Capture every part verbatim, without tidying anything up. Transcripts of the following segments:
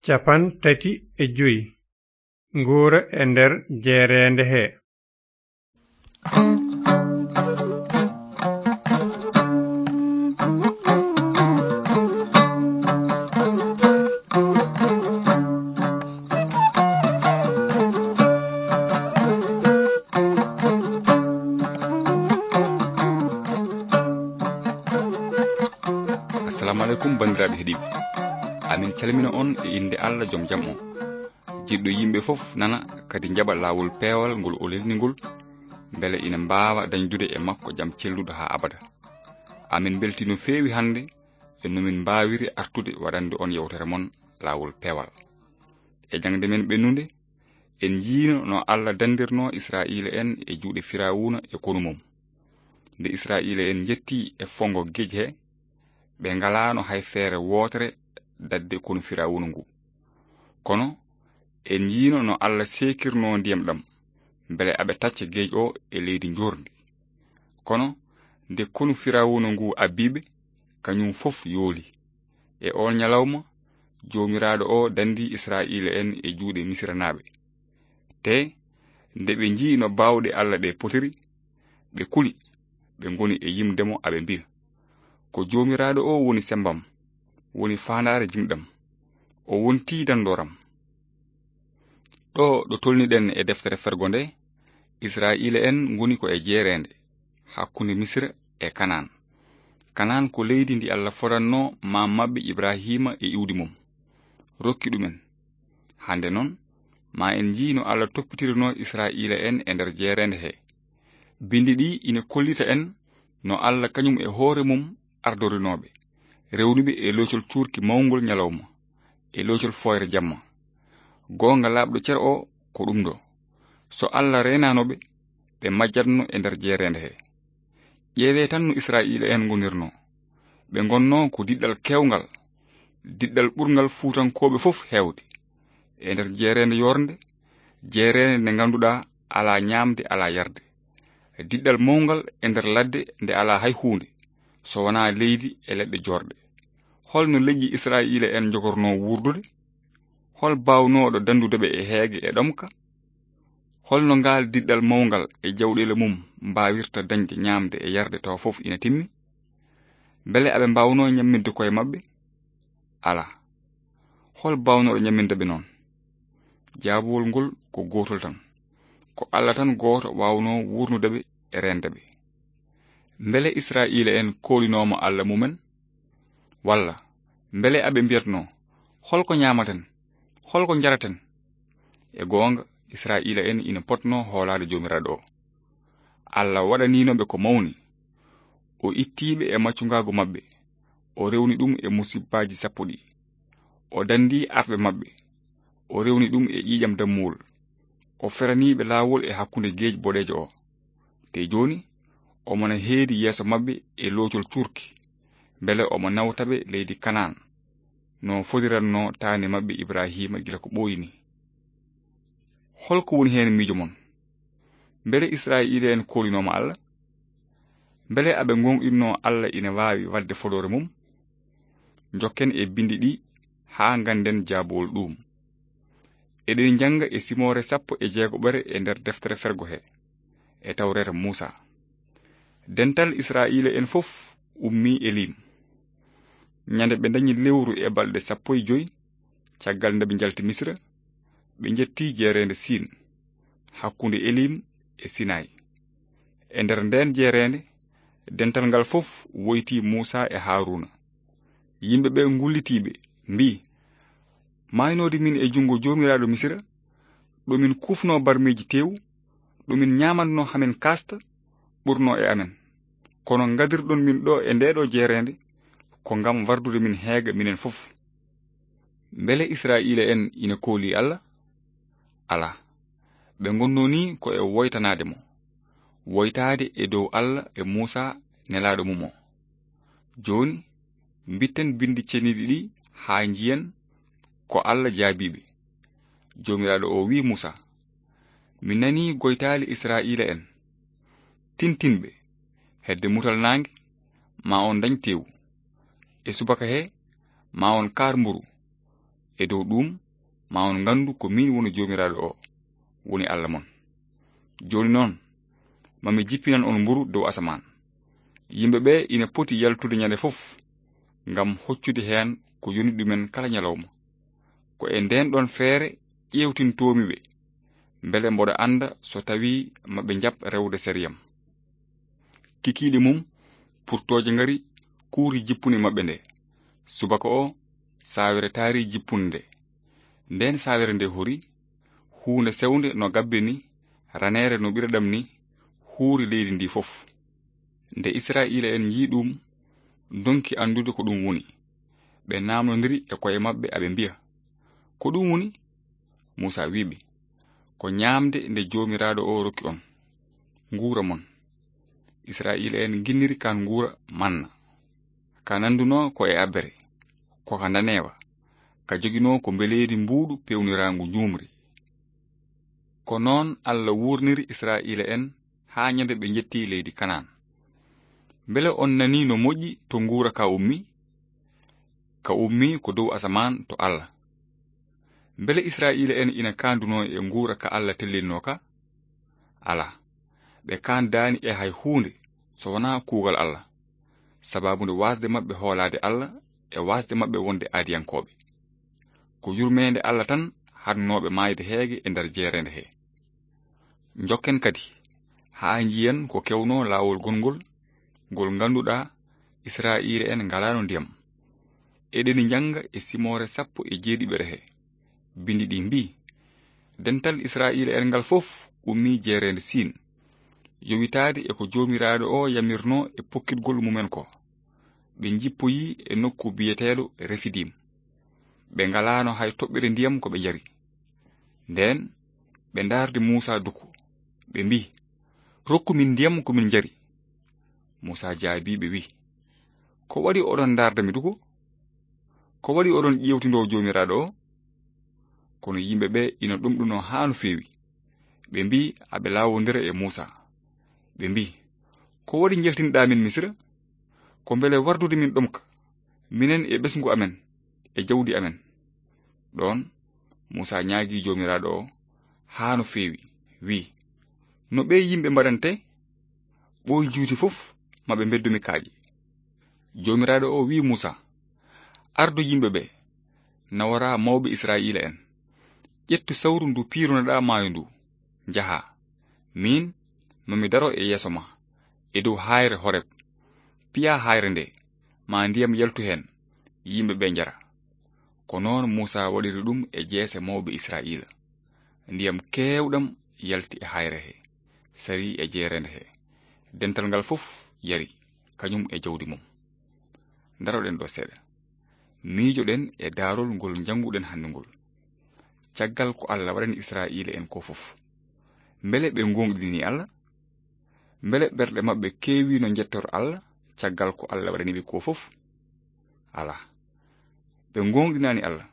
Cappanɗe tati e joy. Nguura e nder jeereende he. Assalamu aleykum, banndiraaɓe heɗiiɓe. Amin calmina on e innde Allah, jom jam on. Jiɗɗo yimɓe fof nana, kadi njaɓa laawol peewal ngol o lelni ngol, mbele ina mbaawa dañdude e makko jam celluɗo haa abada. Amin mbeltii no feewi hannde e no min mbaawiri artude waɗande on yewtere mon laawol peewal. E jaŋde men ɓennunde, en njiino no Allah dandirnoo Israa'iila en e juuɗe Firawuna e konu mum. Nde Israa'iila en njettii e fonngo geej he, ɓe ngalaano hay feere wootere daɗde konu Firawuna ngu. Kono en njiino no Allah seekirnoo ndiyam ɗam, mbele aɓe tacca geej o e leydi njoorndi. Kono nde konu Firawuna ngu abbii ɓe, kañum fof yooli. E oon ñalawma, Joomiraaɗo o danndii Israa'iila en e juuɗe Misiranaaɓe. Te nde ɓe njii no baawɗe Allah ɗe potiri, ɓe kuli, ɓe ngoni e yimde mo, aɓe mbiya, "Ko Joomiraaɗo o woni semmbam, woni faandaare jimɗam, o wontii danndooram." Ɗo ɗo tolniɗen e deftere fergo nde, Israa'iila en ngoni ko e jeereende hakkunde Misira e Kanaan. Kanaan ko leydi ndi Allah fodanno maam maɓɓe Ibrahiima e iwdi mum, rokki ɗumen. Hannde noon, ma en njii no Allah toppitirinoo Israa'iila en e nder jeereende he. Binndi ɗi ina kollita en no Allah kañum e hoore mum ardorinooɓe, rewnuɓe e loocol cuurki mawngol ñalawma, e loocol fooyre jamma. Goonga laaɓɗo cer o ko ɗum ɗo. So Allah reenaano ɓe, ɓe majjatno e nder jeereende he. Ƴeewee tan no Israa'iila en ngonirnoo. Ɓe ngonnoo ko diɗɗal keewngal, diɗɗal ɓurngal Fuutankooɓe fof heewde. E nder jeereende yoornde, jeereende nde ngannduɗaa alaa ñaamde, alaa yarde. Diɗɗal mawngal e nder ladde nde alaa hay huunde, so wonaa leydi e leɗɗe joorɗe. Hol no leƴƴi Israa'iila en njogornoo wuurdude? Hol baawnooɗo danndude ɓe e heege e ɗomka? Hol no ngaal diɗɗal mawngal e jawɗeele mum mbaawirta dañde ñaamde e yarde tawa fof ina timmi? Mbele aɓe mbaawnoo ñamminde koye maɓɓe? Alaa. Hol baawnooɗo ñamminde ɓe noon? Jaabowol ngol ko gootol tan. Ko Allah tan gooto waawnoo wuurnude ɓe e reende ɓe. Mbele Israa'iila en koolinooma Allah mumen? Walla mbele aɓe mbiyatnoo, "Hol ko ñaamaten? Hol ko njaraten?" E goonga, Israa'iila en ina potnoo hoolaade Joomiraaɗo o. Allah waɗaniino ɓe ko mawni. O ittii ɓe e maccungaagu maɓɓe. O rewni ɗum e musibbaaji sappo ɗi. O danndii arɓe maɓɓe. O rewni ɗum e ƴiiƴam dammuwol. O feranii ɓe laawol e hakkunde geej boɗeejo o. Te jooni, omo na heedi yeeso maɓɓe e loocol cuurki, mbele omo nawta ɓe leydi Kanaan, no fodiratnoo taani maɓɓe Ibrahiima gila ko ɓooyi ni. Hol ko woni heen miijo mon? Mbele Israa'iila en koolinooma Allah? Mbele aɓe ngoongɗinnoo Allah ina waawi waɗde fodoore mum? Njokken e binndi ɗi haa ngannden jaabowol ɗuum. Eɗen njannga e simoore sappo e jeegoɓere e nder deftere fergo he, e tawreeta Muusa. Dental Israa'iila en fof ummii Elim. Ñande ɓe ndañi lewru e balɗe sappo e joy, caggal nde ɓe njalti Misira, ɓe njettii jeereende Siin, hakkunde Elim e Sinayi. E nder ndeen jeereende, dental ngal fof woyti Muusa e Haaruuna. Yimɓe ɓe ngullitiiɓe mbii, "Maaynoode min e junngo Joomiraaɗo Misira, ɗo min kuufnoo barmeeji teewu, ɗo min ñaamatnoo hamin kaasta, ɓurnoo e amen. Kono ngadirɗon min ɗo e ndeeɗo jeereende, ko ngam wardude min heega minen fof." Mbele Israa'iila en ina koolii Allah? Alaa. Ɓe ngonnoo nii ko e woytanaade mo, woytaade e dow Allah e Muusa nelaaɗo mum o. Jooni, mbitten binndi ceniiɗi ɗi haa njiyen ko Allah jaabii ɓe. Joomiraaɗo o wi'i Muusa, "Mi nanii goytaali Israa'iila en. Tintin ɓe, hedde mutal naange, ma on ndañ teewu. E subaka he, ma on kaar mburu. E dow ɗum, ma on ngandu ko min woni Joomiraaɗo o, woni Alla mon. Jooni noon, ma mi jippinan on mburu dow asamaan. Yimɓe ɓe ina poti yaltude ñande fof, ngam hoccude heen ko yoni ɗumen kala ñalawma. Ko e ndeen ɗoon feere ƴeewtintoomi ɓe, mbele mboɗo annda so tawii maɓe njaɓ rewde seriyam. Kikiiɗe mum, purtooje ngari kuuri jippunde maɓɓe nde. Subaka o, saawere taari jippunde nde. Ndeen saawere nde hori, huunde sewnde no gabbe ni, raneere no ɓireɗam ni, huuri leydi ndi fof. Nde Israa'iila en njii ɗum, ndonki anndude ko ɗum woni. Ɓe naamnondiri e ko'e maɓɓe, aɓe mbiya, "Ko ɗum woni?" Muusa wi'i ɓe, "Ko ñaamde nde Joomiraaɗo o rokki on. Nguura mon." Israa'iila en nginniri kaan nguura manna. Ka nanndunoo ko e abbere, ko ka ndaneewa, ka joginoo ko mbeleedi mbuuɗu peewniraangu njuumri. Ko noon Alla wuurniri Israa'iila en haa ñande ɓe njetti leydi Kanaan. Mbele on nanii no moƴƴi to nguura ka ummi? Ka ummi ko dow asamaan to Alla. Mbele Israa'iila en ina kaandunoo e nguura ka Alla tellinnoo ka? Alaa. Ɓe kaandaani e hay huunde so wonaa kuugal Alla, sabaabu nde waasde maɓɓe hoolaade Alla e waasde maɓɓe wonde aadiyankooɓe. Ko yurmeende Alla tan haɗnooɓe maayde heege e nder jeereende he. Njokken kadi, haa njiyen ko kewnoo laawol gongol, ngol ngannduɗaa Israa'iila en ngalaano ndiyam. Eɗeni njannga e simoore sappo e jeeɗiɓere he. Binndi ɗi mbii, "Dental Israa'iila en ngal fof ummii jeereende Siin, yowitaade e ko Joomiraaɗo o yamirnoo e pokkitgol mumen ko. Ɓe njippoyii e nokku biyeteeɗo Refidim. Ɓe ngalaano hay toɓɓere ndiyam ko ɓe njari." Ndeen ɓe ndaardi Muusa duko, ɓe mbii, "Rokku min ndiyam ko min njari." Muusa jaabii ɓe wii, "Ko waɗi oɗon ndaarda mi duko? Ko waɗi oɗon ƴeewtindoo Joomiraaɗo o?" Kono yimɓe ɓe ina ɗomɗunoo haa no feewi. Ɓe mbii, aɓe laawondira e Muusa. Ɓe mbii, "Ko waɗi njaltinɗaa min Misira? Ko mbele wardude min ɗomka, minen e ɓesngu amen, e jawdi amen?" Ɗoon, Muusa ñaagii Joomiraaɗo o haa no feewi, wii, "No ɓee yimɓe mbaɗante? Ɓooy juuti fof, ma ɓe mbeddu mi kaaƴe." Joomiraaɗo o wii Muusa, "Ardu yimɓe ɓe, naworaa mawɓe Israa'iila en. Ƴettu sawru ndu piirunoɗaa maayo ndu, njahaa. Miin, ma mi daro e yeeso ma, e dow haayre Horeb. Piyaa haayre nde, ma ndiyam yaltu heen, yimɓe ɓe njara." Ko noon Muusa waɗiri ɗum e jeese mawɓe Israa'iila. Ndiyam keewɗam yalti e haayre he, sarii e jeereende he. Dental ngal fof yari, kañum e jawdi mum. Ndaroɗen ɗo seeɗa. Miijoɗen e daarol ngol njannguɗen hannde ngol. Caggal ko Alla waɗani Israa'iila en ko fof, mbele ɓe ngoongɗini Alla? Mbele ɓerɗe maɓɓe keewino njettor Alla caggal ko Alla waɗani ɓe ko fof? Alaa. Ɓe ngoongɗinaani Alla,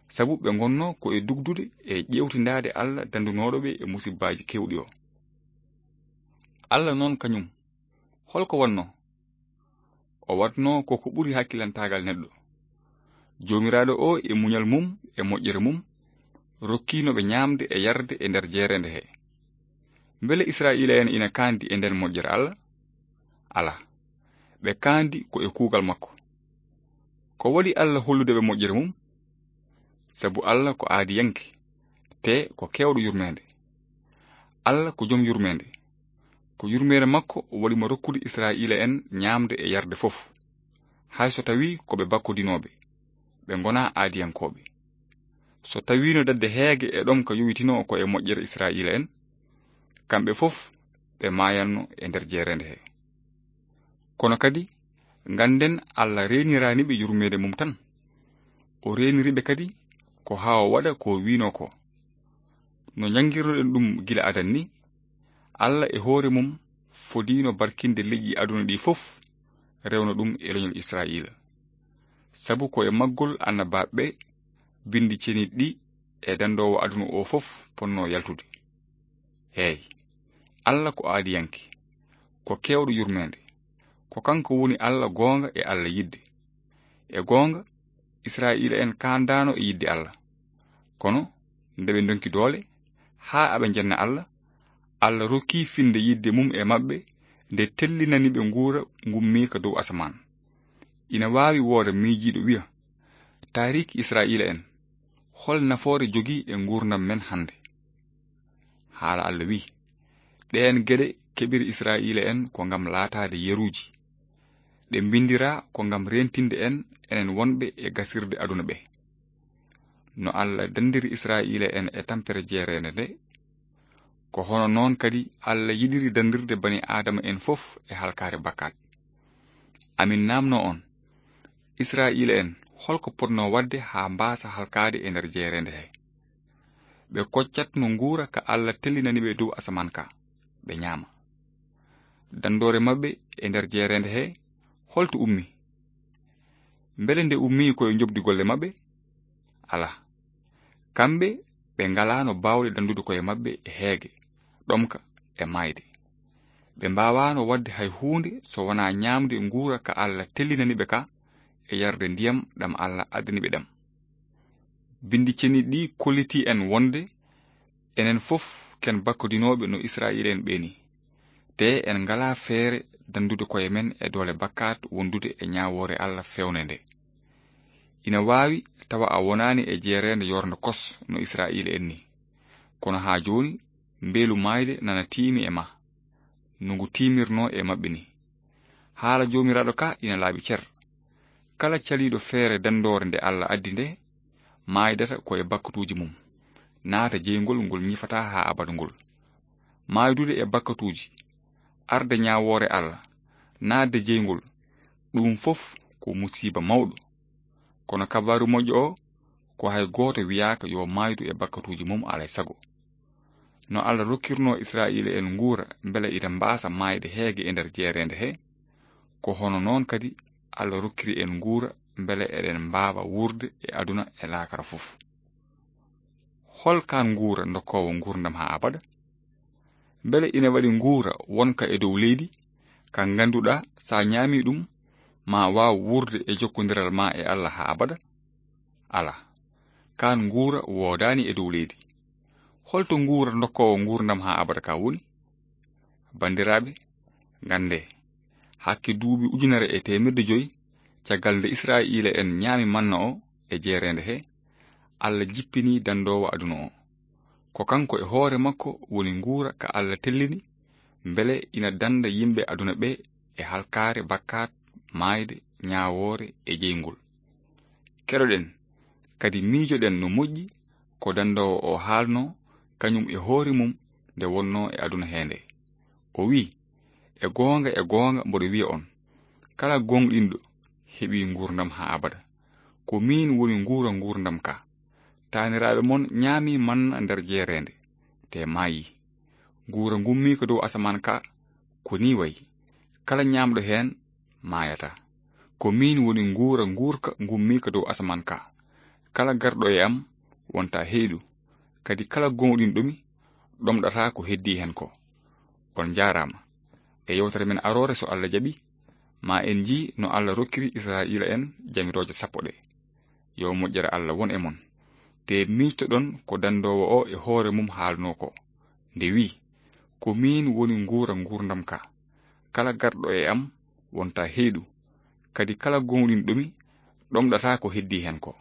sabu ɓe ngonnoo ko e dugdude e ƴeewtindaade Alla danndunooɗo ɓe e musibbaaji keewɗi o. Alla noon kañum, hol ko wonnoo? O waɗnoo ko ko ɓuri hakkilantaagal neɗɗo. Joomiraaɗo o e muñal mum e moƴƴere mum, rokkiino ɓe ñaamde e yarde e nder jeereende he. Mbele Israa'iila en ina kaandi e nden moƴƴere Alla? Alaa. Ɓe kaandi ko e kuugal makko. Ko waɗi Alla hollude ɓe moƴƴere mum? Sabu Alla ko aadiyanke, te ko keewɗo yurmeende. Alla ko jom yurmeende. Ko yurmeende makko waɗi mo rokkude Israa'iila en ñaamde e yarde fof, hay so tawii ko ɓe bakkodinooɓe, ɓe ngonaa aadiyankooɓe. So tawiino dadde heege e ɗomka yowitinoo ko e moƴƴere Israa'iila en, kamɓe fof ɓe maayanno e nder jeereende he. Kono kadi, ngannden Alla reeniraani ɓe yurmeende mum tan. O reeniri ɓe kadi ko haa o waɗa ko o wiinoo ko. No njanngirnoɗen ɗum gila adan ni, Alla e hoore mum fodiino barkinde leƴƴi aduna ɗi fof, rewna ɗum e leñol Israa'iila. Sabu ko e maggol annabaaɓe ɓe binndi ceniiɗi ɗi e danndoowo aduna o fof ponnoo yaltude. Eey, Alla ko aadiyanke, ko keewɗo yurmeende. Ko kanko woni Alla goonga e Alla yiɗde. E goonga, Isra'iila'en kaandaano e yiɗde Allah. Kono nde ɓe ndonki doole haa aɓe njenna Allah, Allah rokki finnde yiɗde mum e maɓɓe nde tellinani ɓe nguura ngummiika dow asamaan. Ina waawi wooda miijiiɗo wiya, "Taariik Isra'iila'en, hol nafoore jogii e nguurndam men hannde?" Haala Allah wi'i, "Ɗeen geɗe keɓiri Isra'iila'en ko ngam laataade yeruuji. Ɗe mbinndiraa ko ngam reentinde en, enen wonɓe e gasirde aduna ɓe." No Allah danndiri Isra'iila'en e tampere jeereende nde, ko hono noon kadi Allah yiɗiri danndirde bani Aadama en fof e halkaare bakkaat. Amin naamno on, Isra'iila'en, holko potnoo waɗde haa mbaasa halkaade e nder jeereende he? Ɓe koccatno nguura ka Allah tellinani ɓe dow asamaan ka, ɓe ñaama. Danndoore maɓɓe e nder jeereende he, holto ummi? Mbele nde ummii ko e njoɓdi golle maɓɓe? Alaa. Kamɓe, ɓe ngalaano baawɗe danndude koye maɓɓe e heege, ɗomka e maayde. Ɓe mbaawaano waɗde hay huunde so wonaa ñaamde nguura ka Allah tellinani ɓe ka e yarde ndiyam ɗam Allah addani ɓe ɗam. Binndi ceniiɗi ɗi kollitii en wonde enen fof ken bakkodinooɓe no Isra'iila'en ɓe ni. Te en ngalaa feere danndude koye men e doole bakkaat wondude e ñaawoore Allah feewnde nde. Ina waawi tawa a wonaani e jeereende yoornde kos no Isra'iila'en ni. Kono haa jooni, mbeelu maayde nana tiimi e ma, no ngu tiimirnoo e maɓɓe ni. Haala Joomiraaɗo ka ina laaɓi cer. Kala caliiɗo feere danndoore nde Allah addi nde, maaydata ko e bakkatuuji mum, naata jeyngol ngol ñifataa haa abada ngol. Maaydude e bakkatuuji, arde ñaawoore Allah, naatde jeyngol, ɗum fof ko musiiba mawɗo. Kono kabaaru moƴƴo o, ko hay gooto wiyaaka yo maaydu e bakkatuuji mum alay sago. No Allah rokkirnoo Isra'iila'en nguura mbele ina mbaasa maayde heege e nder jeereende he, ko hono noon kadi Allah rokkiri en nguura mbele eɗen mbaawa wuurde e aduna e laakara fof. Hol kaan nguura ndokkoowo nguurndam haa abada? Mbele ina waɗi nguura wonka e dow leydi, ka ngannduɗaa sa ñaami ɗum, ma waaw wuurde e jokkondiral ma e Allah haa abada? Alaa, kaan nguura woodaani e dow leydi. Holto nguura ndokkoowo nguurndam haa abada ka woni? Banndiraaɓe, nganndee, hakke duuɓi ujunere e teemedde joy, caggal nde Isra'iila'en ñaami manna o e jeereende he, Allah jippini danndoowo aduna o. Ko kanko e hoore makko woni nguura ka Allah tellini, mbele ina dannda yimɓe aduna ɓe e halkaare bakkaat, maayde, ñaawoore e jeyngol. Keɗoɗen, kadi miijoɗen no moƴƴi ko danndoowo o haalnoo, kañum e hoore mum nde wonnoo e aduna hee nde. O wi'i, "E goonga, e goonga, mboɗo wi'a on, kala gooŋɗinɗo heɓii nguurndam haa abada. Ko miin woni nguura nguurndam ka. Taaniraaɓe mon ñaami manna nder jeereende, te maayii. Nguura ngummiika dow asamaan ka, ko nii wayi. Kala ñaamɗo heen maayataa. Ko miin woni nguura nguurka ngummiika dow asamaan ka. Kala garɗo e am wonta heyɗu, kadi kala gooŋɗinɗo mi ɗomɗata ko heddii heen ko." On njaaraama. E yewtere men aroore, so Allah jaɓi, ma en njii no Allah rokkiri Isra'iila'en jamirooje sappo ɗe. Yo moƴƴere Allah won e mon. Te miijtoɗon ko danndoowo o e hoore mum haalnoo ko, nde wi'i, "Ko miin woni nguura nguurndam ka. Kala garɗo e am wonta heyɗu, kadi kala gooŋɗinɗo mi ɗomɗata ko heddii heen ko."